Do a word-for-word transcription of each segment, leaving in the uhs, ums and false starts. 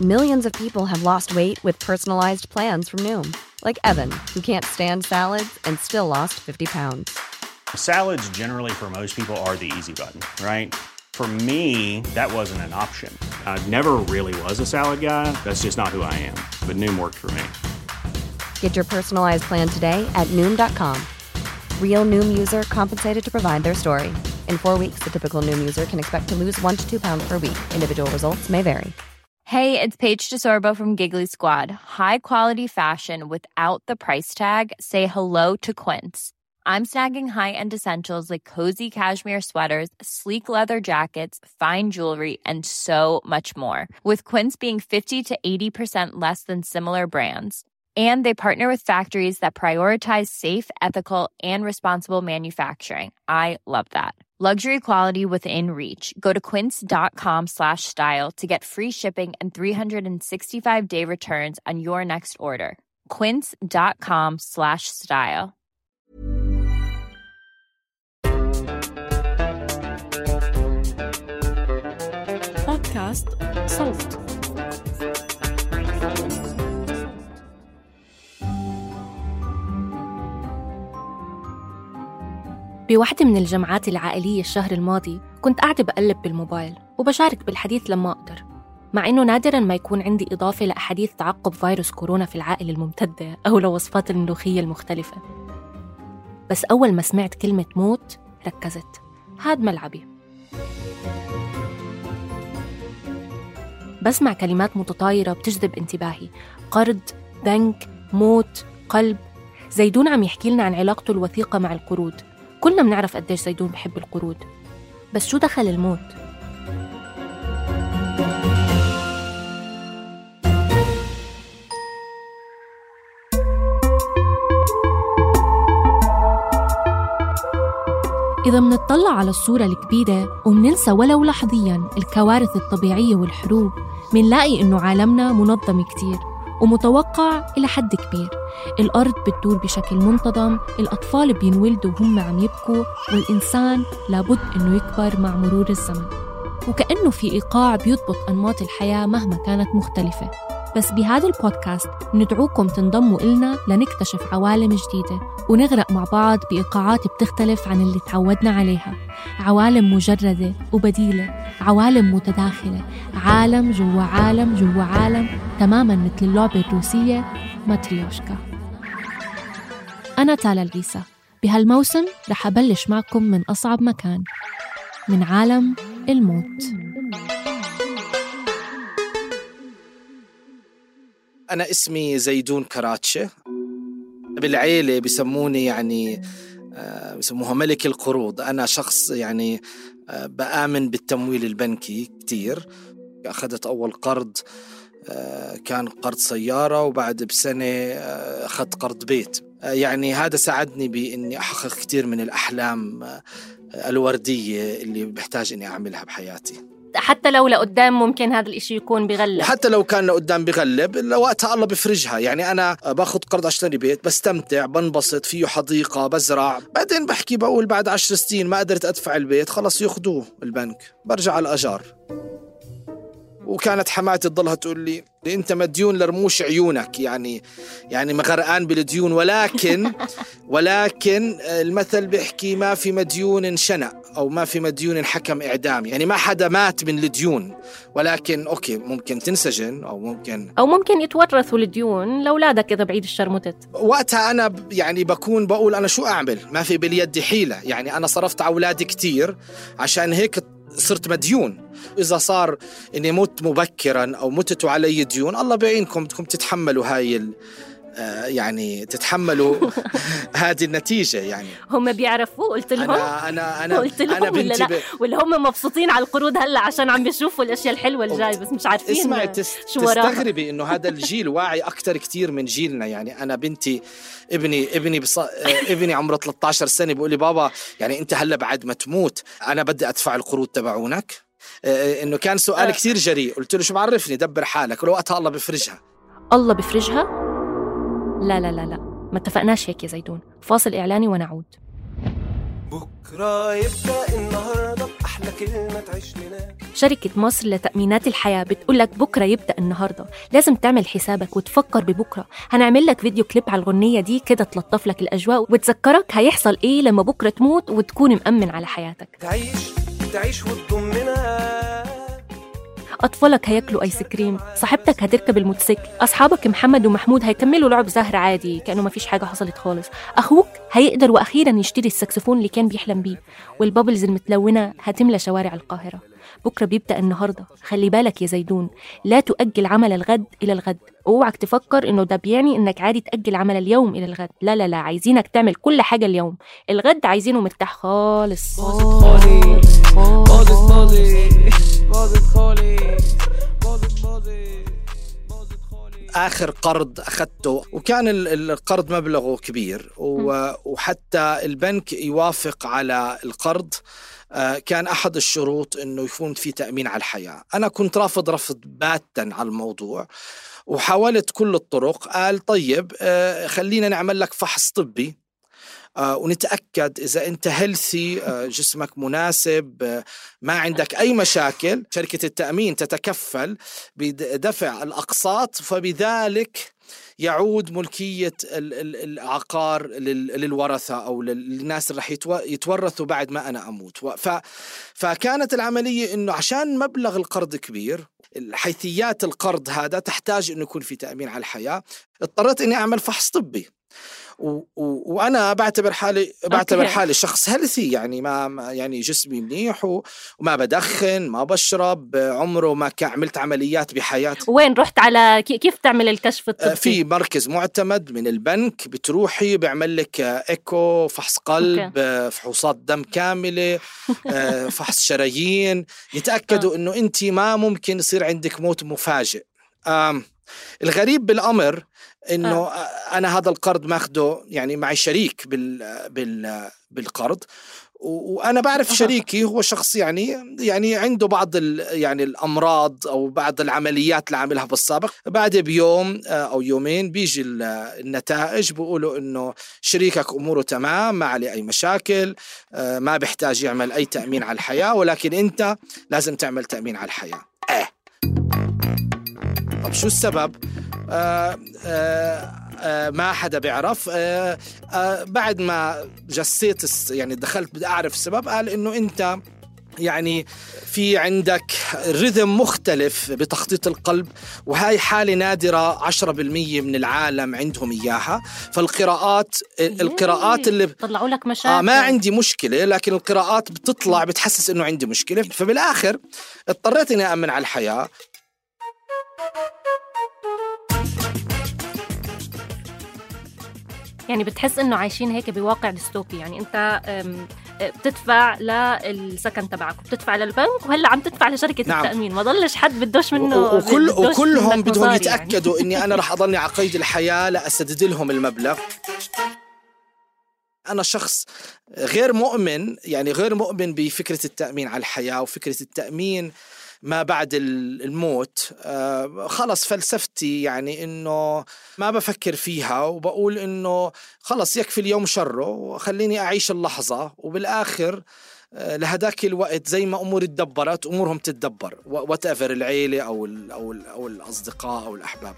Millions of people have lost weight with personalized plans from Noom. Like Evan, who can't stand salads and still lost fifty pounds. Salads generally for most people are the easy button, right? For me, that wasn't an option. I never really was a salad guy. That's just not who I am. But Noom worked for me. Get your personalized plan today at Noom dot com. Real Noom user compensated to provide their story. In four weeks, the typical Noom user can expect to lose one to two pounds per week. Individual results may vary. Hey, it's Paige DeSorbo from Giggly Squad. High quality fashion without the price tag. Say hello to Quince. I'm snagging high-end essentials like cozy cashmere sweaters, sleek leather jackets, fine jewelry, and so much more. With Quince being fifty to eighty percent less than similar brands. And they partner with factories that prioritize safe, ethical, and responsible manufacturing. I love that. Luxury quality within reach. Go to quince.com slash style to get free shipping and three sixty-five day returns on your next order. Quince.com slash style. بودكاست صوت. بوحدة من الجمعات العائلية الشهر الماضي كنت قاعدة بقلب بالموبايل وبشارك بالحديث لما أقدر، مع إنه نادراً ما يكون عندي إضافة لأحاديث تعقب فيروس كورونا في العائلة الممتدة أو لوصفات الملوخية المختلفة. بس أول ما سمعت كلمة موت ركزت. هاد ملعبي. بسمع كلمات متطايرة بتجذب انتباهي: قرض، بنك، موت، قلب. زيدون عم يحكي لنا عن علاقته الوثيقة مع القروض. كلنا بنعرف قديش زيدون بحب القروض، بس شو دخل الموت؟ إذا منطلع على الصورة الكبيرة ومننسى ولو لحظياً الكوارث الطبيعية والحروب، منلاقي إنه عالمنا منظم كتير ومتوقع إلى حد كبير. الأرض بتدور بشكل منتظم، الأطفال بينولدوا وهم عم يبكوا، والإنسان لابد إنه يكبر مع مرور الزمن. وكأنه في إيقاع بيضبط أنماط الحياة مهما كانت مختلفة. بس بهذا البودكاست ندعوكم تنضموا إلنا لنكتشف عوالم جديدة ونغرق مع بعض بإيقاعات بتختلف عن اللي تعودنا عليها. عوالم مجردة وبديلة، عوالم متداخلة، عالم جوا عالم جوا عالم، تماماً مثل اللعبة الروسية ماتريوشكا. أنا تالا العيسى. بهالموسم رح أبلش معكم من أصعب مكان، من عالم الموت. أنا اسمي زيدون كراتشة، بالعيلة بيسموني يعني بيسموها ملك القروض. أنا شخص يعني بآمن بالتمويل البنكي كتير. أخذت أول قرض كان قرض سيارة، وبعد بسنة أخذت قرض بيت. يعني هذا ساعدني بإني أحقق كتير من الأحلام الوردية اللي بحتاج إني أعملها بحياتي. حتى لو لقدام ممكن هذا الإشي يكون بغلب، حتى لو كان لقدام بغلب لوقتها الله بفرجها. يعني أنا باخد قرض أشتري بيت، بستمتع، بنبسط فيه، حديقة، بزرع، بعدين بحكي بقول بعد عشر سنين ما قدرت أدفع البيت، خلص ياخدوه البنك، برجع على الأجار. وكانت حماتي تضلها تقول لي أنت مديون لرموش عيونك، يعني يعني مغرقان بالديون. ولكن ولكن المثل بيحكي ما في مديون شنق أو ما في مديون حكم إعدام. يعني ما حدا مات من الديون، ولكن أوكي ممكن تنسجن أو ممكن أو ممكن يتورثوا الديون لأولادك إذا بعيد الشر متت. وقتها أنا يعني بكون بقول أنا شو أعمل، ما في باليد حيلة. يعني أنا صرفت على أولادي كتير، عشان هيك صرت مديون. إذا صار إني مت مبكراً أو متتوا علي ديون، الله بيعينكم بدكم تتحملوا هاي ال آه يعني تتحملوا هذه النتيجة. يعني هم بيعرفوا. قلت لهم أنا أنا أنا قلت لهم أنا ولا, ب... ولا هم مبسوطين على القروض هلا عشان عم بيشوفوا الأشياء الحلوة الجاي، بس مش عارفين. اسمعي تس... شو وراها. تستغربي إنه هذا الجيل واعي أكتر كتير من جيلنا. يعني أنا بنتي ابني ابني بص... ابني عمره ثلاثة عشر سنة بيقول لي بابا يعني أنت هلا بعد ما تموت أنا بدي أدفع القروض تبعونك. إنه كان سؤال كتير جريء. قلت له شو بعرفني، دبر حالك، ولوقتها الله بفرجها. الله بفرجها؟ لا لا لا لا، ما اتفقناش هيك يا زيدون. فاصل إعلاني ونعود. بكرة يبدأ النهاردة أحلى كلمة تعيش لنا. شركة مصر لتأمينات الحياة بتقول لك بكرة يبدأ النهاردة، لازم تعمل حسابك وتفكر ببكرة. هنعمل لك فيديو كليب على الغنية دي كده تلطف لك الأجواء وتذكرك هيحصل إيه لما بكرة تموت وتكون مأمن على حياتك. تعيش تعيش وتضمنا. أطفالك هياكلوا آيس كريم، صاحبتك هتركب الموتوسيكل، أصحابك محمد ومحمود هيكملوا لعب زهر عادي كأنه ما فيش حاجة حصلت خالص، أخوك هيقدر وأخيرا يشتري السكسفون اللي كان بيحلم بيه، والبابلز المتلونة هتملى شوارع القاهرة. بكرة بيبدأ النهاردة، خلي بالك يا زيدون، لا تؤجل عمل الغد إلى الغد. اوعك تفكر إنه ده بيعني إنك عادي تأجل عمل اليوم إلى الغد، لا لا لا، عايزينك تعمل كل حاجة اليوم، الغد عايزينه مرتاح خالص. آخر قرض أخذته وكان القرض مبلغه كبير وحتى البنك يوافق على القرض كان أحد الشروط أنه يكون في تأمين على الحياة. أنا كنت رافض رفض باتا على الموضوع وحاولت كل الطرق. قال طيب خلينا نعمل لك فحص طبي ونتأكد إذا أنت هيلثي، جسمك مناسب، ما عندك أي مشاكل. شركة التأمين تتكفل بدفع الأقساط، فبذلك يعود ملكية العقار للورثة أو للناس اللي رح يتورثوا بعد ما أنا أموت. فكانت العملية إنه عشان مبلغ القرض كبير، حيثيات القرض هذا تحتاج إنه يكون في تأمين على الحياة. اضطريت إني أعمل فحص طبي و و وأنا بعتبر حالي بعتبر okay. حالي شخص هيلثي، يعني ما يعني جسمي منيح وما بدخن ما بشرب، عمره ما عملت عمليات بحياتي. وين رحت على كيف تعمل الكشف الطبي؟ في مركز معتمد من البنك، بتروحي بيعمل لك إيكو، فحص قلب okay. فحوصات دم كاملة، فحص شرايين، يتأكدوا إنه أنت ما ممكن يصير عندك موت مفاجئ. الغريب بالأمر إنه آه. أنا هذا القرض ماخده يعني معي شريك بال بال بالقرض، وأنا بعرف شريكي هو شخص يعني يعني عنده بعض يعني الأمراض أو بعض العمليات اللي عاملها بالسابق. بعد بيوم أو يومين بيجي النتائج بيقولوا إنه شريكك أموره تمام، ما عليه أي مشاكل، ما بيحتاج يعمل أي تأمين على الحياة، ولكن أنت لازم تعمل تأمين على الحياة. آه. طب شو السبب؟ آه آه آه ما حدا بيعرف. آه آه بعد ما جسيت يعني دخلت بدي أعرف السبب، قال إنه أنت يعني في عندك رذم مختلف بتخطيط القلب، وهاي حالة نادرة، عشرة بالمية من العالم عندهم إياها. فالقراءات القراءات اللي طلعوا لك مشاكل. آه ما عندي مشكلة، لكن القراءات بتطلع بتحسس إنه عندي مشكلة. فبالآخر اضطريت إني أأمن على الحياة. يعني بتحس إنه عايشين هيك بواقع ديستوبي، يعني أنت بتدفع للسكن تبعك وبتدفع للبنك وهلا عم تدفع لشركة نعم. التأمين، ما ضلش حد بدوش منه. وكل وكلهم بدهم يتأكدوا يعني. إني أنا رح أضلني على قيد الحياة لأسدد لهم المبلغ. أنا شخص غير مؤمن، يعني غير مؤمن بفكرة التأمين على الحياة وفكرة التأمين ما بعد الموت. آه خلص فلسفتي يعني إنه ما بفكر فيها، وبقول إنه خلص يكفي اليوم شره وخليني أعيش اللحظة، وبالآخر آه لهداك الوقت زي ما أمور تدبرت أمورهم تتدبر، واتأفر العيلة أو, ال أو, ال أو الأصدقاء أو الأحباب.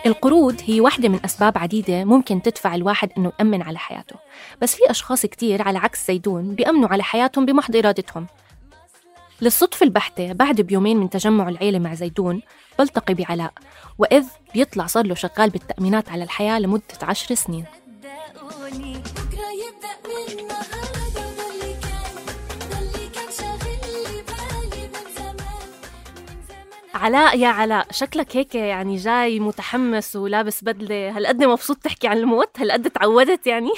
القروض هي واحدة من أسباب عديدة ممكن تدفع الواحد إنه يأمن على حياته، بس في أشخاص كتير على عكس زيدون بيأمنوا على حياتهم بمحض إرادتهم. للصدفة البحتة بعد بيومين من تجمع العيلة مع زيدون بلتقي بعلاء، وإذ بيطلع صار له شغال بالتأمينات على الحياة لمدة عشر سنين. علاء يا علاء، شكلك هيك يعني جاي متحمس ولابس بدلة، هالقد مبسوط تحكي عن الموت؟ هالقد تعودت يعني؟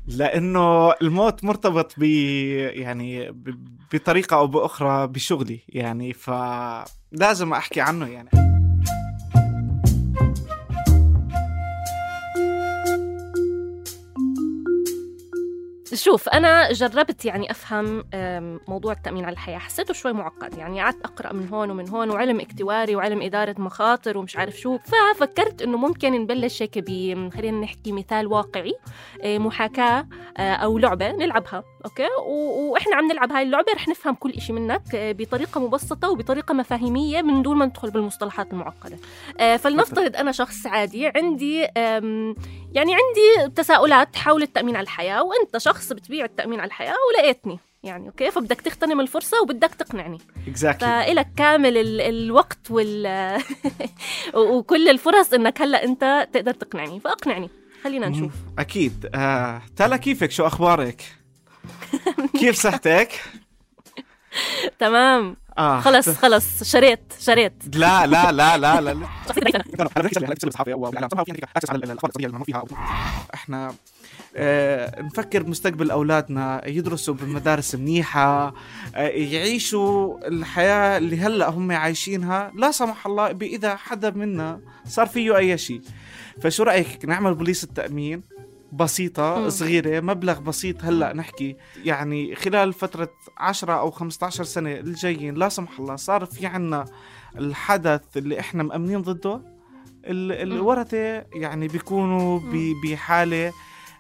لأنه الموت مرتبط ب يعني بطريقة أو بأخرى بشغلي يعني، فلازم أحكي عنه يعني. شوف أنا جربت يعني أفهم موضوع التأمين على الحياة، حسيته شوي معقد، يعني قعدت أقرأ من هون ومن هون وعلم اكتواري وعلم إدارة مخاطر ومش عارف شو، ففكرت إنه ممكن نبلش هيك ب خلينا نحكي مثال واقعي، محاكاة أو لعبة نلعبها، أوكي، وإحنا عم نلعب هاي اللعبة رح نفهم كل إشي منك بطريقة مبسطة وبطريقة مفاهيمية من دون ما ندخل بالمصطلحات المعقدة. فلنفترض أنا شخص عادي عندي يعني عندي تساؤلات حول التأمين على الحياة، وأنت شخص بتبيع التأمين على الحياة ولقيتني يعني أوكي، فبدك تغتنم الفرصة وبدك تقنعني exactly. فإلك كامل ال- الوقت وال وكل الفرص إنك هلأ أنت تقدر تقنعني، فأقنعني خلينا نشوف. أكيد. آه، تالا كيفك؟ شو أخبارك؟ كيف صحتك؟ تمام. آه. خلص خلص شريت شريت لا لا لا لا لا احنا اه نفكر بمستقبل أولادنا، يدرسوا بمدارس منيحة، اه يعيشوا الحياة اللي هلأ هم عايشينها، لا سمح الله بإذا حدا منا صار فيه أي شيء. فشو رأيك نعمل بوليس التأمين بسيطة م. صغيرة، مبلغ بسيط هلأ نحكي يعني خلال فترة عشرة أو خمسة عشر سنة الجايين لا سمح الله صار في عنا الحدث اللي إحنا مأمنين ضده، الورثة يعني بيكونوا بحالة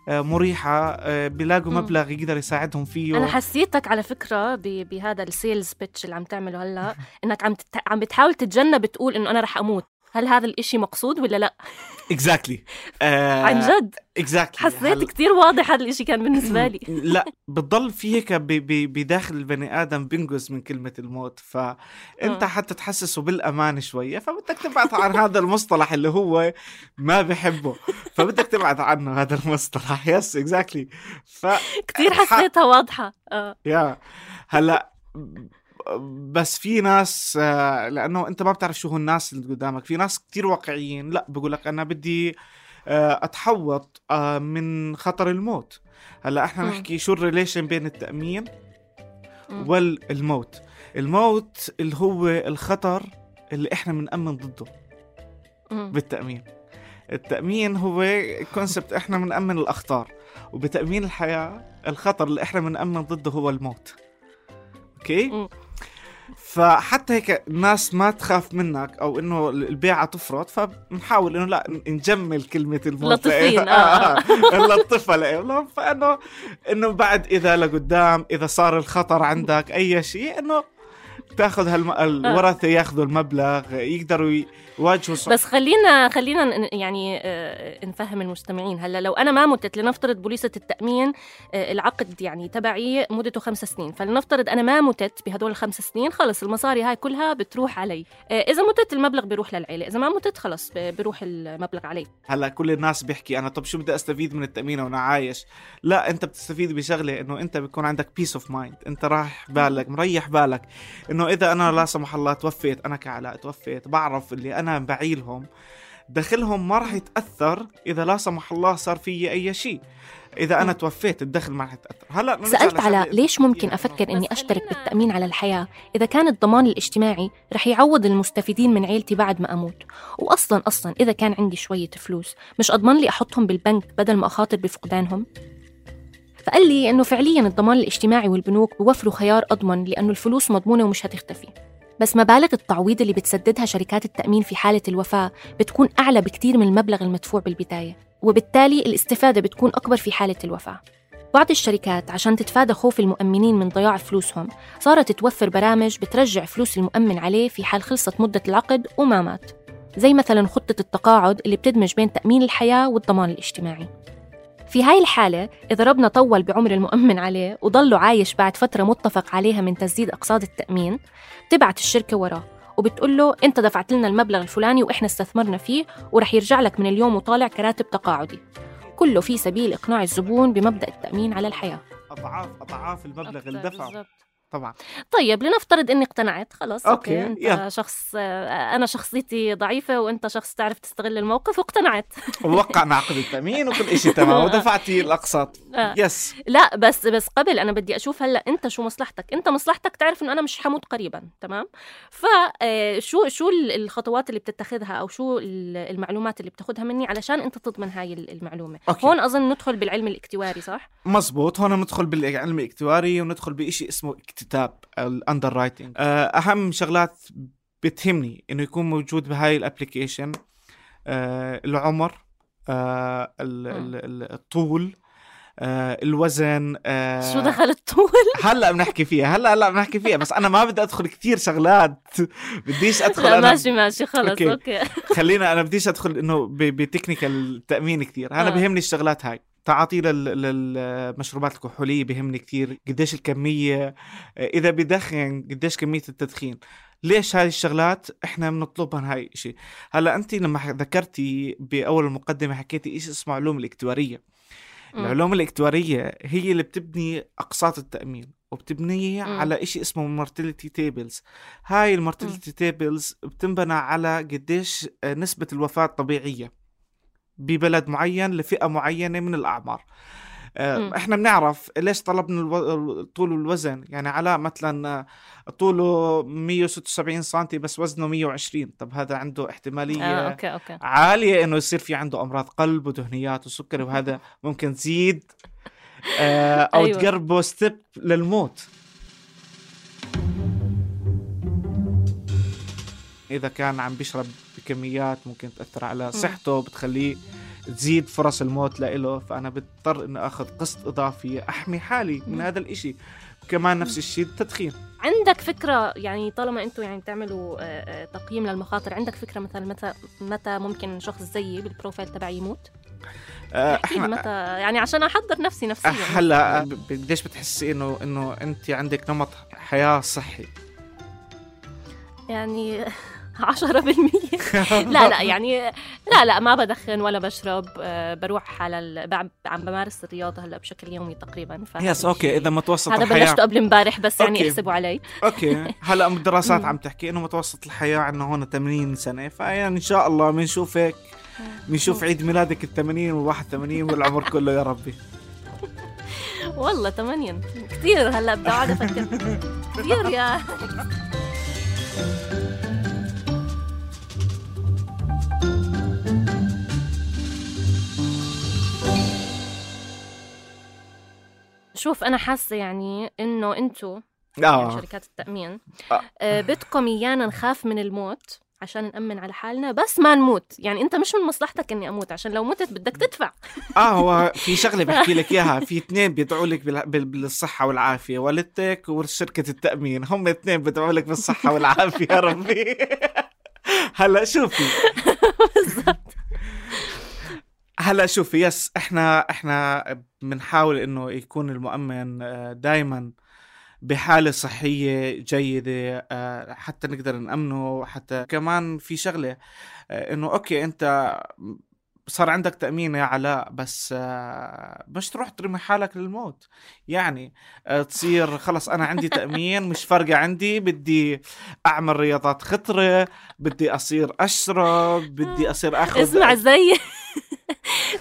مريحة، بيلاقوا مبلغ يقدر يساعدهم فيه. أنا حسيتك على فكرة بهذا السيلز بيتش اللي عم تعمله هلأ إنك عم تت... عم بتحاول تتجنب تقول إنه أنا رح أموت. هل هذا الإشي مقصود ولا لا؟ exactly. uh, عن جد exactly. حسيت هل... كتير واضح هذا الإشي كان بالنسبة لي. لا بتضل في هيك بداخل البني آدم بينجز من كلمة الموت، فأنت حتى تحسسه بالأمان شوية، فبدك تبعد عن هذا المصطلح اللي هو ما بحبه، فبدك تبعد عنه هذا المصطلح. يس exactly. ف... كتير حسيتها واضحة. آه. يا هلأ بس في ناس لأنه أنت ما بتعرف شو هو الناس اللي قدامك، في ناس كتير واقعيين لا بقولك أنا بدي أتحوط من خطر الموت. هلأ إحنا م. نحكي شو الريليشن بين التأمين م. والموت. الموت اللي هو الخطر اللي إحنا منأمن ضده م. بالتأمين. التأمين هو كونسبت إحنا منأمن الأخطار، وبتأمين الحياة الخطر اللي إحنا منأمن ضده هو الموت. أوكي؟ م. فحتى هيك الناس ما تخاف منك أو إنه البيعة تفرط، فنحاول إنه لا نجمل كلمة الموت لطيفين. آه. اللطفة لهم، فإنه إنه بعد إذا لقدام إذا صار الخطر عندك أي شيء إنه تاخذ هالورثة ياخذوا المبلغ يقدروا يواجهوا صح. بس خلينا خلينا يعني نفهم المستمعين. هلا لو أنا ما متت، لنفترض بوليصة التأمين العقد يعني تبعي مدته خمس سنين، فلنفترض أنا ما متت بهدول الخمس سنين، خلص المصاري هاي كلها بتروح علي. إذا متت المبلغ بيروح للعيلة، إذا ما متت خلص بيروح المبلغ علي. هلا كل الناس بيحكي أنا طب شو بدي أستفيد من التأمين وأنا عايش؟ لا، أنت بتستفيد بشغلة إنه أنت بيكون عندك peace of mind، أنت راح بالك مريح بالك إنه إذا أنا لا سمح الله توفيت، أنا كعلاء توفيت، بعرف اللي أنا بعيلهم دخلهم ما راح يتأثر إذا لا سمح الله صار فيه أي شيء. إذا أنا توفيت الدخل ما راح يتأثر. هلأ سألت على ليش ممكن أفكر إني أشترك بالتأمين على الحياة إذا كان الضمان الاجتماعي رح يعوض المستفيدين من عيلتي بعد ما أموت، وأصلاً أصلاً إذا كان عندي شوية فلوس مش أضمن لي أحطهم بالبنك بدل ما أخاطر بفقدانهم؟ فقال لي إنه فعلياً الضمان الاجتماعي والبنوك بوفروا خيار أضمن لأنه الفلوس مضمونة ومش هتختفي، بس مبالغ التعويض اللي بتسددها شركات التأمين في حالة الوفاة بتكون أعلى بكتير من المبلغ المدفوع بالبداية، وبالتالي الاستفادة بتكون أكبر في حالة الوفاة. بعض الشركات عشان تتفادى خوف المؤمنين من ضياع فلوسهم صارت توفر برامج بترجع فلوس المؤمن عليه في حال خلصت مدة العقد وما مات، زي مثلاً خطة التقاعد اللي بتدمج بين تأمين الحياة والضمان الاجتماعي. في هاي الحالة إذا ربنا طول بعمر المؤمن عليه وضله عايش بعد فترة متفق عليها من تسديد أقساط التأمين، تبعت الشركة وراه وبتقول له أنت دفعت لنا المبلغ الفلاني وإحنا استثمرنا فيه ورح يرجع لك من اليوم وطالع كراتب تقاعدي، كله في سبيل إقناع الزبون بمبدأ التأمين على الحياة. أضعاف أضعاف المبلغ اللي دفعه. طبعا. طيب لنفترض اني اقتنعت خلاص. أوكي. اوكي انت يلا. شخص، انا شخصيتي ضعيفه وانت شخص تعرف تستغل الموقف واقتنعت. ووقعنا عقد التأمين وكل إشي تمام ودفعتي الأقساط. آه. يس. لا بس بس قبل انا بدي اشوف هلا انت شو مصلحتك. انت مصلحتك تعرف انه انا مش حموت قريبا، تمام؟ فشو شو الخطوات اللي بتتخذها او شو المعلومات اللي بتاخذها مني علشان انت تضمن هاي المعلومه؟ أوكي. هون اظن ندخل بالعلم الاكتواري، صح؟ مزبوط. هون ندخل بالعلم الاكتواري وندخل بإشي اسمه اكتتاب الاندر رايتنج. اهم شغلات بتهمني انه يكون موجود بهاي الابليكيشن أه العمر، أه الطول، أه الوزن. أه شو دخل الطول؟ هلا بنحكي فيها هلا هلا بنحكي فيها بس انا ما بدي ادخل كتير شغلات. بديش ادخل لا أنا ماشي ماشي خلص. اوكي, أوكي. خلينا انا بديش ادخل انه بتكنيكال التأمين كتير. انا آه. بهمني الشغلات هاي. تعاطي للمشروبات الكحولية بهمني كتير، قديش الكمية، إذا بدخن قديش كمية التدخين. ليش هاي الشغلات إحنا بنطلبها؟ هاي إشي. هلأ أنت لما ذكرتي بأول المقدمة حكيتي إيش اسمه علوم الاكتوارية. م. العلوم الاكتوارية هي اللي بتبني أقساط التأمين وبتبنيه م. على إشي اسمه mortality tables. هاي المورتاليتي tables بتنبنى على قديش نسبة الوفاة الطبيعية ببلد معين لفئة معينة من الأعمار. م. احنا بنعرف ليش طلبنا الطول والوزن. يعني علاء مثلا طوله مية وستة وسبعين سنتي بس وزنه مية وعشرين، طب هذا عنده احتمالية آه، أوكي، أوكي. عالية انه يصير في عنده امراض قلب ودهنيات وسكري، وهذا ممكن تزيد آه او أيوة. تقربه ستيب للموت. إذا كان عم بيشرب بكميات ممكن تأثر على صحته، بتخليه تزيد فرص الموت لإله. فأنا بضطر إني أخذ قسط إضافي أحمي حالي من هذا الإشي. كمان نفس الشيء التدخين. عندك فكرة يعني طالما أنتوا يعني تعملوا تقييم للمخاطر، عندك فكرة مثلا متى متى ممكن شخص زيي بالبروفايل تبعي يموت؟ احكي لي متى يعني عشان أحضر نفسي نفسيا. هلا قديش بتحسي إنه إنه أنت عندك نمط حياة صحي؟ يعني عشرة بالمية. لا لا يعني لا لا ما بدخن ولا بشرب. أه بروح على ال... عم بمارس الرياضة هلا بشكل يومي تقريبا. يس اوكي. اذا متوسط هذا الحياة بلشته قبل امبارح بس يعني أوكي. احسبوا علي. اوكي. هلا الدراسات عم تحكي انه متوسط الحياة عندنا هون ثمانين سنة، فيعني ان شاء الله بنشوفك بنشوف عيد ميلادك الثمانين والواحد ثمانين والعمر كله يا ربي. والله ثمانين كتير. هلا بدي اقعد افكر كتير يا شوف. أنا حاسة يعني إنه أنتوا آه. يعني شركات التأمين آه. بدكم إيانا نخاف من الموت عشان نأمن على حالنا بس ما نموت. يعني أنت مش من مصلحتك إني أموت، عشان لو متت بدك تدفع. آه هو في شغلة بحكي لك إياها. في اثنين بيدعوا لك بالصحة والعافية، والدتك وشركة التأمين، هم اثنين بيدعوا لك بالصحة والعافية يا ربي. هلا شوفي بالضبط. هلا شوفي يس احنا احنا بنحاول انه يكون المؤمن دائما بحالة صحية جيدة حتى نقدر نأمنه. حتى كمان في شغلة انه اوكي انت صار عندك تأمين يا علاء بس مش تروح ترمي حالك للموت. يعني تصير خلص أنا عندي تأمين مش فارقة عندي، بدي أعمل رياضات خطرة، بدي أصير أشرب، بدي أصير أخذ. اسمع زي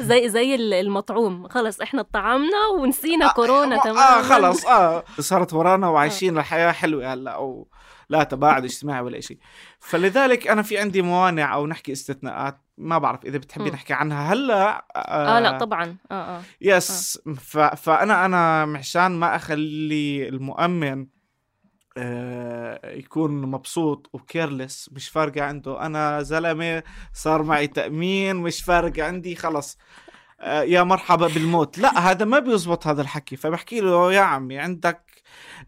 زي زي المطعوم، خلص إحنا طعمنا ونسينا آه كورونا تمام. آه خلص آه صارت ورانا وعايشين الحياة حلوة هلا، أو لا تباعد اجتماعي ولا شيء. فلذلك أنا في عندي موانع أو نحكي استثناءات، ما بعرف إذا بتحبين نحكي عنها هلا. آه, آه لا طبعا آه آه يس آه. ف فأنا أنا مشان ما أخلي المؤمن آه يكون مبسوط وكيرلس مش فارقة عنده، أنا زلمة صار معي تأمين مش فارقة عندي خلص آه يا مرحبا بالموت. لا هذا ما بيزبط هذا الحكي. فبحكي له يا عمي عندك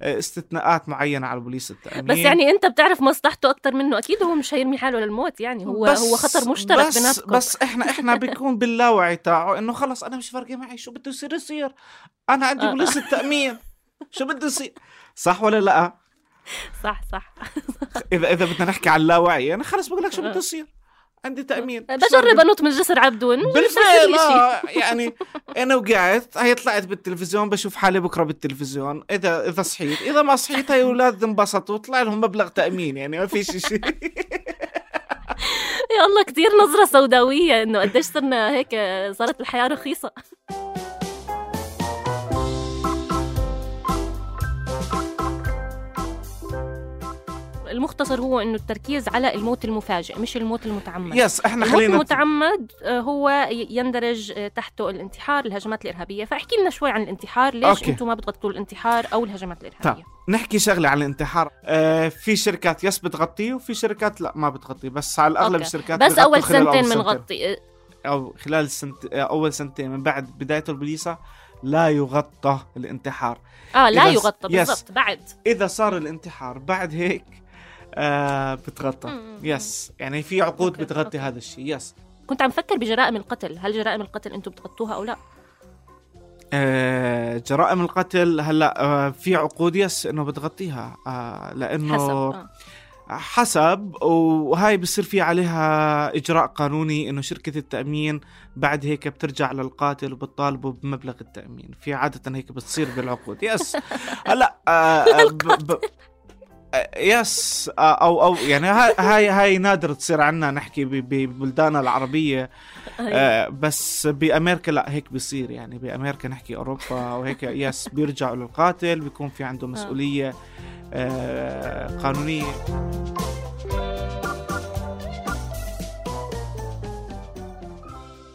استثناءات معينة على بوليس التأمين، بس يعني أنت بتعرف مصلحته أكتر منه أكيد. هو مش هيرمي حاله للموت، يعني هو هو خطر مشترك بس بيناتكم. بس إحنا إحنا بيكون باللاوعي تاعه إنه خلص أنا مش فارقة معي شو بده يصير يصير، أنا عندي آه. بوليس التأمين شو بده يصير. صح ولا لا؟ صح صح. إذا إذا بدنا نحكي عن اللاوعي أنا خلص بقول لك شو بده يصير، عندي تأمين. بجرب أنط من جسر عبدون بالفعل. آه يعني أنا وقعت هي طلعت بالتلفزيون، بشوف حالي بكرة بالتلفزيون. إذا إذا صحيت إذا ما صحيت هاي أولاد انبسطوا طلع لهم مبلغ تأمين، يعني ما في شيء. يا الله كتير نظرة سوداوية إنه قديش صرنا هيك، صارت الحياة رخيصة. المختصر هو إنه التركيز على الموت المفاجئ مش الموت المتعمد. يس احنا الموت خلينا المتعمد هو يندرج تحته الانتحار، الهجمات الإرهابية. فاحكي لنا شوي عن الانتحار، ليش أوكي. انتم ما بتغطوا الانتحار أو الهجمات الإرهابية؟ طب نحكي شغلة عن الانتحار. آه في شركات يس بتغطيه وفي شركات لا ما بتغطيه، بس على الأغلب أوكي. الشركات بس أول سنتين بنغطي أو خلال سنت أول سنتين من بعد بداية البوليسة لا يغطى الانتحار. آه لا يغطى بالضبط. بعد إذا صار الانتحار بعد هيك آه بتغطى. يس يعني في عقود أوكي. بتغطي أوكي. هذا الشيء. يس كنت عم فكر بجرائم القتل، هل جرائم القتل أنتم بتغطوها أو لا؟ آه جرائم القتل هلا آه في عقود يس إنه بتغطيها آه لأنه حسب آه. حسب وهاي بصير في عليها إجراء قانوني إنه شركة التأمين بعد هيك بترجع للقاتل وبتطالبه بمبلغ التأمين. في عادة هيك بتصير بالعقود. يس هلا آه ب ب يس او او يعني هاي هاي نادر تصير عنا نحكي ببلداننا العربيه. آه بس بامريكا لا هيك بيصير، يعني بامريكا نحكي اوروبا وهيك يس بيرجعوا للقاتل، بيكون في عنده مسؤوليه آه قانونيه.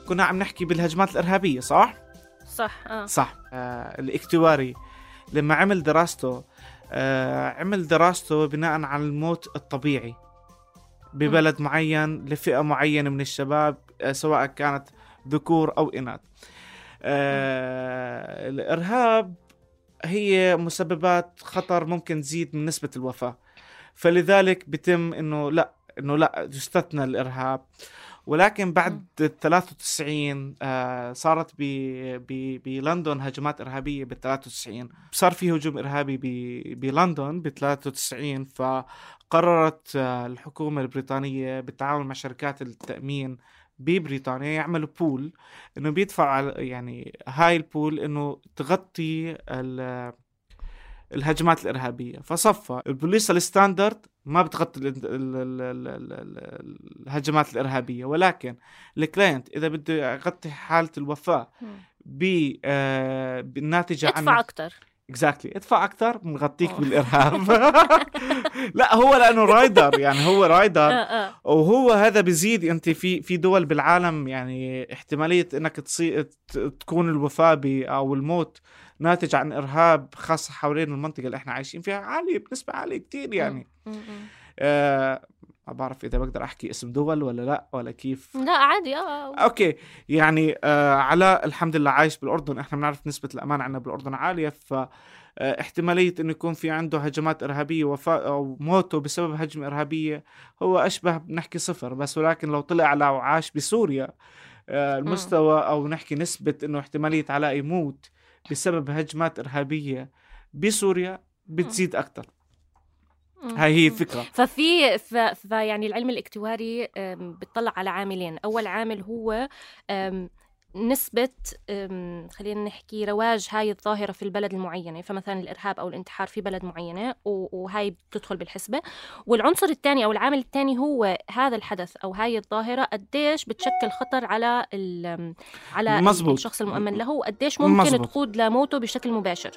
كنا عم نحكي بالهجمات الارهابيه صح صح اه صح. آه الاكتواري لما عمل دراسته آه، عمل دراسته بناء على الموت الطبيعي ببلد م. معين لفئة معينة من الشباب آه، سواء كانت ذكور أو إناث. آه، الإرهاب هي مسببات خطر ممكن تزيد من نسبة الوفاة، فلذلك بيتم إنه لا إنه لا يستثنى الإرهاب. ولكن بعد ثلاثة وتسعين آه صارت بلندن هجمات إرهابية بال ثلاثة وتسعين، صار في هجوم إرهابي بلندن ب ثلاثة وتسعين، فقررت آه الحكومة البريطانية بالتعاون مع شركات التأمين ببريطانيا يعملوا بول إنه بيدفع يعني هاي البول إنه تغطي الهجمات الإرهابية. فصفى البوليس الستاندرد ما بتغطي الهجمات الإرهابية، ولكن الكلاينت إذا بده يغطي حالة الوفاة بالناتجة عن ادفع أكتر. exactly. ادفع أكتر بنغطيك بالإرهاب. لا هو لأنه رايدر، يعني هو رايدر وهو هذا بيزيد. أنت في في دول بالعالم يعني احتمالية إنك تصير تكون الوفاة أو الموت ناتج عن إرهاب خاصة حوالين المنطقة اللي احنا عايشين فيها عالية بنسبة عالية كتير يعني. آه ما بعرف إذا بقدر أحكي اسم دول ولا لا ولا كيف. لا عادي اه أوكي يعني آه علاء الحمد لله عايش بالأردن، احنا بنعرف نسبة الأمان عنا بالأردن عالية، فاحتمالية إنه يكون في عنده هجمات إرهابية وفاة أو موته بسبب هجمة إرهابية هو أشبه بنحكي صفر. بس ولكن لو طلع على وعاش بسوريا آه المستوى أو نحكي نسبة إنه احتمالية علاء يموت بسبب هجمات إرهابية بسوريا بتزيد أكتر. هاي هي الفكرة. ففي ف... فيعني العلم الاكتواري بتطلع على عاملين. أول عامل هو نسبة خلينا نحكي رواج هاي الظاهرة في البلد المعينة، فمثلا الإرهاب أو الانتحار في بلد معينة وهاي بتدخل بالحسبة. والعنصر الثاني أو العامل الثاني هو هذا الحدث أو هاي الظاهرة قديش بتشكل خطر على ال... على مزبوط. الشخص المؤمن له، وقديش ممكن مزبوط. تقود لموته بشكل مباشر.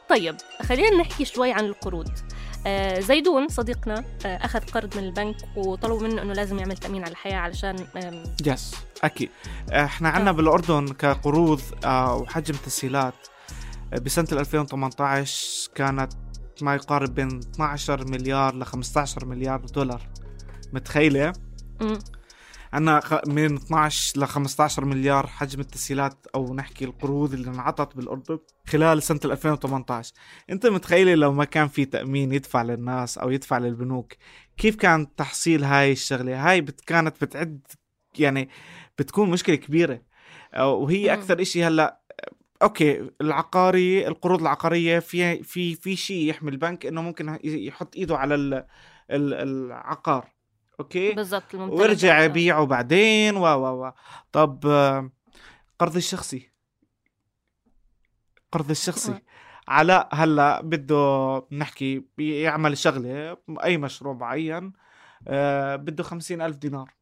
طيب خلينا نحكي شوي عن القروض. آه زيدون صديقنا آه أخذ قرض من البنك وطلبوا منه أنه لازم يعمل تأمين على الحياة علشان يس أكيد. احنا عنا آه. بالأردن كقروض آه وحجم تسهيلات آه بسنة ألفين وثمانية عشر كانت ما يقارب بين اثنا عشر مليار ل خمسة عشر مليار دولار. متخيلة؟ م. عنا من اثنا عشر ل خمسة عشر مليار حجم التسهيلات أو نحكي القروض اللي انعطت بالأردن خلال سنة ألفين وثمانية عشر. أنت متخيلة لو ما كان في تأمين يدفع للناس أو يدفع للبنوك كيف كان تحصيل هاي الشغلة؟ هاي بت كانت بتعد يعني بتكون مشكلة كبيرة. وهي أكثر إشي هلأ أوكي العقاري القروض العقارية في في في شيء يحمي البنك إنه ممكن يحط إيده على ال العقار أوكي بالضبط ويرجع يبيعه بعدين و و و طب قرض الشخصي قرض الشخصي علاء هلا بده نحكي يعمل شغلة أي مشروع معين آه بده خمسين ألف دينار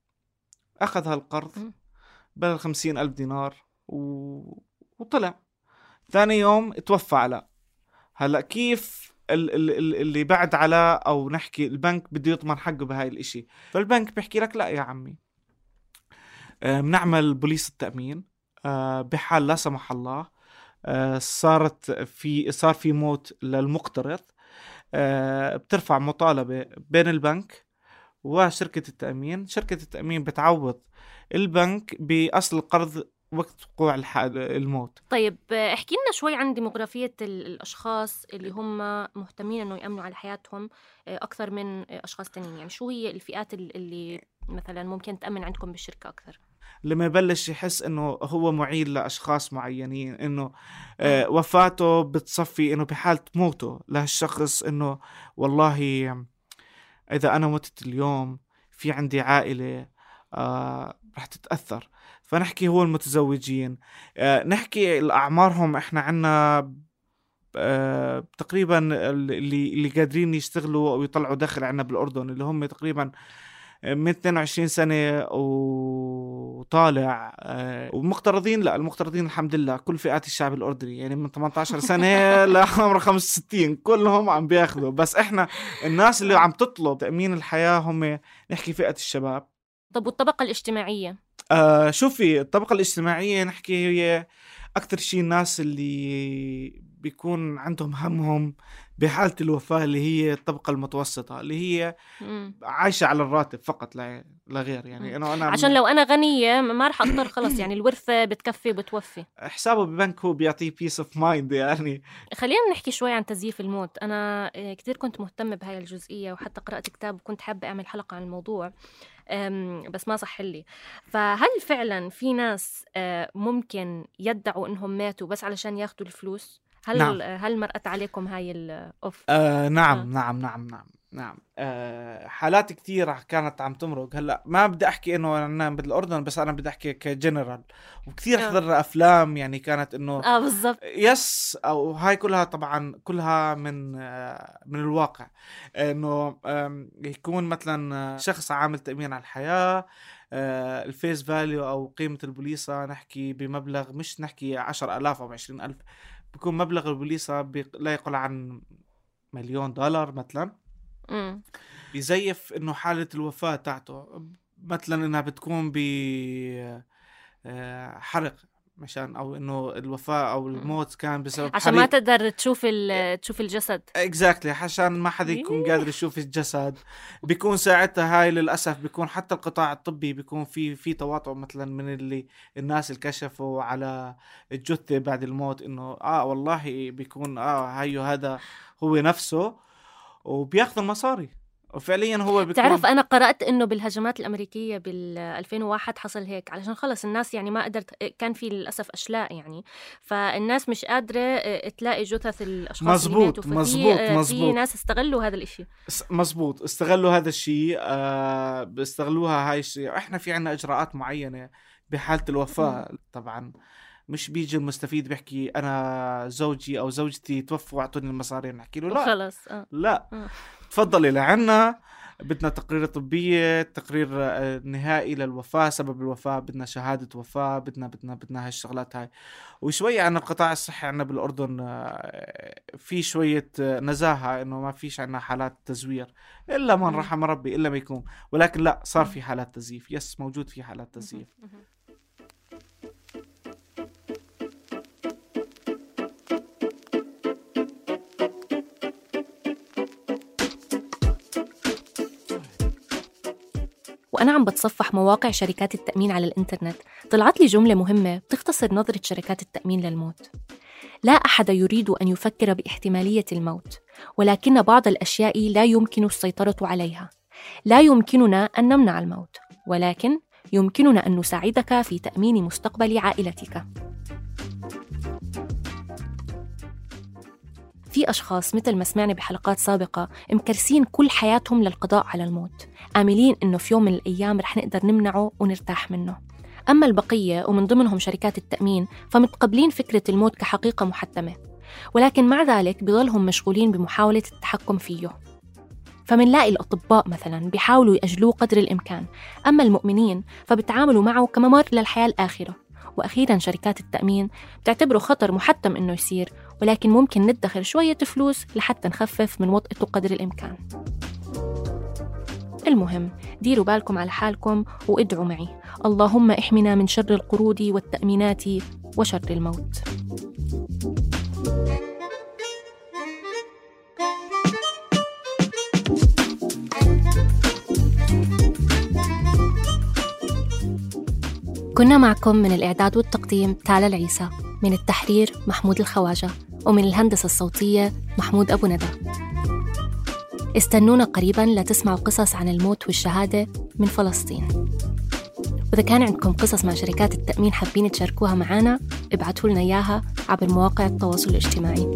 أخذ هالقرض بدل خمسين ألف دينار و... وطلع ثاني يوم توفى علاء. هلا كيف اللي بعد علاء أو نحكي البنك بده يضمن حقه بهاي الاشي؟ فالبنك بيحكي لك لا يا عمي آه بنعمل بوليس التأمين آه بحال لا سمح الله آه صارت في صار في موت للمقترض آه بترفع مطالبة بين البنك وشركة التأمين. شركة التأمين بتعوض البنك بأصل القرض وقت وقوع الموت. طيب احكي لنا شوي عن ديموغرافية الأشخاص اللي هم مهتمين أنه يأمنوا على حياتهم أكثر من أشخاص تانيين، يعني شو هي الفئات اللي مثلا ممكن تأمن عندكم بالشركة أكثر؟ لما يبلش يحس انه هو معيل لاشخاص معينين، انه آه وفاته بتصفي انه بحالة موته لهالشخص انه والله اذا انا متت اليوم في عندي عائلة آه رح تتأثر. فنحكي هو المتزوجين آه نحكي اعمارهم احنا عنا آه تقريبا اللي اللي قادرين يشتغلوا او يطلعوا دخل عنا بالاردن اللي هم تقريبا من اثنين وعشرين سنة وطالع آه ومقترضين. لا المقترضين الحمد لله كل فئات الشعب الأردني يعني من ثمانية عشر سنة لعمر خمسة وستين كلهم عم بياخذوا. بس احنا الناس اللي عم تطلب تأمين الحياة هم نحكي فئة الشباب. طب والطبقة الاجتماعية؟ آه شوفي الطبقة الاجتماعية نحكي هي أكتر شيء الناس اللي بيكون عندهم همهم بحالة الوفاة اللي هي الطبقة المتوسطة اللي هي مم. عايشة على الراتب فقط لا غير. يعني أنا أنا عشان لو أنا غنية ما رح أقدر خلص يعني الورثة بتكفي بتوفي حسابه ببنك هو بيعطيه peace of mind. يعني خلينا نحكي شوي عن تزييف الموت. أنا كتير كنت مهتمة بهاي الجزئية وحتى قرأت كتاب وكنت حابة أعمل حلقة عن الموضوع بس ما صح لي. فهل فعلا في ناس ممكن يدعوا إنهم ماتوا بس علشان ياخدوا الفلوس؟ هل نعم. هل مرأت عليكم هاي الأوف؟ آه نعم آه. نعم نعم نعم نعم آه حالات كتير كانت عم تمرق. هلا ما بدي احكي انه انا بالاردن بس انا بدي احكي كجنرال وكثير آه. حضرنا افلام يعني كانت انه اه بالضبط يس او هاي كلها طبعا كلها من آه من الواقع انه آه يكون مثلا شخص عامل تأمين على الحياة آه الفيس فاليو او قيمة البوليصة نحكي بمبلغ مش نحكي عشر الاف او عشرين الف بيكون مبلغ البوليصة لا يقل عن مليون دولار مثلا. مم. يزيف انه حالة الوفاة تاعته مثلا انها بتكون بحرق مشان او انه الوفاة او الموت كان بسبب عشان حريق. ما تقدر تشوف تشوف الجسد اكزاكتلي عشان ما حدا يكون قادر يشوف الجسد. بيكون ساعتها هاي للاسف بيكون حتى القطاع الطبي بيكون في في تواطؤ مثلا من اللي الناس اللي كشفوا على الجثة بعد الموت انه اه والله بيكون اه هايو هذا هو نفسه وبياخذ المصاري وفعليا هو بيكون. تعرف أنا قرأت إنه بالهجمات الأمريكية بالألفين وواحد حصل هيك علشان خلص الناس يعني ما قدرت كان في للأسف أشلاء يعني فالناس مش قادرة تلاقي جثث الأشخاص مزبوط اللي مزبوط في مزبوط في ناس استغلوا هذا الإشي. مزبوط استغلوا هذا الشيء آه بيستغلوها هاي الشيء. إحنا في عنا إجراءات معينة بحالة الوفاة. طبعا مش بيجي المستفيد بيحكي أنا زوجي أو زوجتي توفوا وعطوني المصاري نحكي له لا خلص آه. لا آه. تفضلي لعنا بدنا تقرير طبية تقرير نهائي للوفاة سبب الوفاة بدنا شهادة وفاة بدنا بدنا بدنا هالشغلات هاي. وشوية عن القطاع الصحي عنا بالأردن في شوية نزاهة إنه ما فيش عنا حالات تزوير إلا من رحم ربي إلا ما يكون. ولكن لا صار في حالات تزييف. يس موجود في حالات تزييف. وأنا عم بتصفح مواقع شركات التأمين على الإنترنت طلعت لي جملة مهمة بتختصر نظرة شركات التأمين للموت. لا أحد يريد أن يفكر باحتمالية الموت ولكن بعض الأشياء لا يمكن السيطرة عليها. لا يمكننا أن نمنع الموت ولكن يمكننا أن نساعدك في تأمين مستقبل عائلتك. في أشخاص مثل ما سمعنا بحلقات سابقة مكرسين كل حياتهم للقضاء على الموت، آملين إنه في يوم من الأيام رح نقدر نمنعه ونرتاح منه. أما البقية ومن ضمنهم شركات التأمين فمتقبلين فكرة الموت كحقيقة محتمة، ولكن مع ذلك بيظلهم مشغولين بمحاولة التحكم فيه. فمنلاقي الأطباء مثلاً بيحاولوا يأجلوه قدر الإمكان، أما المؤمنين فبتعاملوا معه كممر للحياة الآخرة. وأخيراً شركات التأمين بتعتبره خطر محتم إنه يصير، ولكن ممكن ندخر شوية فلوس لحتى نخفف من وطئته قدر الإمكان. المهم ديروا بالكم على حالكم وادعوا معي، اللهم احمنا من شر القروض والتأمينات وشر الموت. كنا معكم من الإعداد والتقديم تالا العيسى، من التحرير محمود الخواجة، ومن الهندسة الصوتية محمود أبو ندى. استنونا قريباً لتسمعوا قصص عن الموت والشهادة من فلسطين. وإذا كان عندكم قصص مع شركات التأمين حابين تشاركوها معنا، ابعتوا لنا إياها عبر مواقع التواصل الاجتماعي.